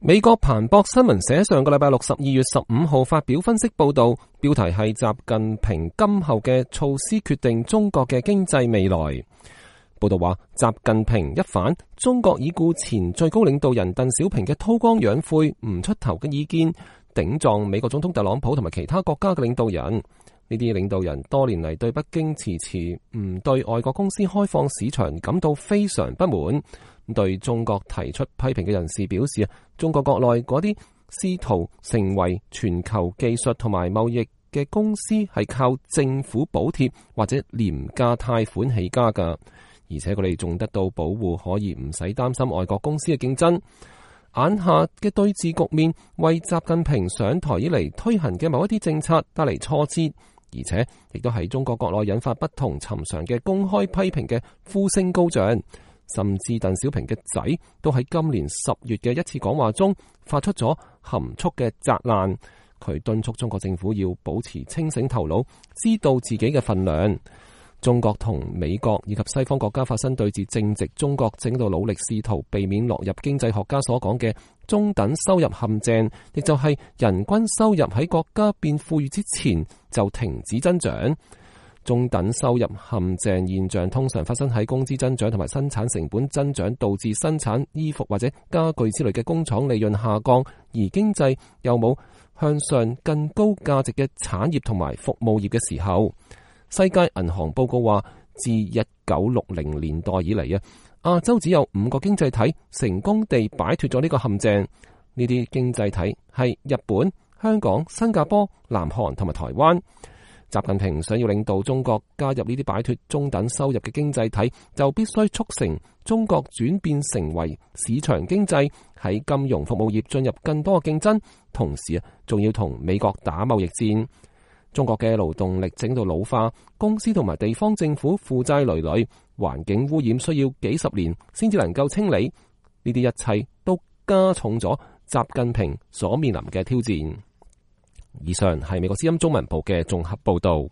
美國彭博新聞社上個禮拜六12月15號發表分析報道，標題係習近平今後嘅措施決定中國嘅經濟未來。報道話，習近平一反中國已故前最高領導人鄧小平嘅韜光養晦、唔出頭嘅意見，頂撞美國總統特朗普同埋其他國家嘅領導人。呢啲領導人多年嚟對北京遲遲唔對外國公司開放市場感到非常不滿。對中國提出批評嘅人士表示，中國國內嗰啲試圖成為全球技術同埋貿易嘅公司係靠政府補貼或者廉價貸款起家㗎，而且佢哋仲得到保護，可以唔使擔心外國公司嘅競爭。眼下嘅對峙局面為習近平上台以嚟推行嘅某一啲政策帶嚟挫折，而且亦都喺中國國內引發不同尋常嘅公開批評嘅呼聲高漲。甚至鄧小平嘅仔都喺今年10月嘅一次講話中發出咗含蓄嘅責難，佢敦促中國政府要保持清醒頭腦，知道自己嘅份量。中國同美國以及西方國家發生對峙正值中國正喺度努力試圖避免落入經濟學家所講嘅中等收入陷阱，亦就係人均收入喺國家變富裕之前就停止增長。中等收入陷阱現象通常發生喺工資增長同埋生產成本增長，導致生產衣服或者家具之類嘅工廠利潤下降，而經濟又冇向上更高價值嘅產業同埋服務業嘅時候。世界銀行報告話，自1960年代以嚟亞洲只有5個經濟體成功地擺脫咗呢個陷阱。呢啲經濟體係日本、香港、新加坡、南韓同埋台灣。習近平想要領導中國加入呢啲擺脫中等收入嘅經濟體，就必須促成中國轉變成為市場經濟，喺金融服務業進入更多嘅競爭，同時仲要同美國打貿易戰。中國嘅勞動力正喺度老化，公司同埋地方政府負債累累，環境污染需要幾十年先至能夠清理，呢啲一切都加重咗習近平所面臨嘅挑戰。以上係美國之音中文部嘅綜合報道。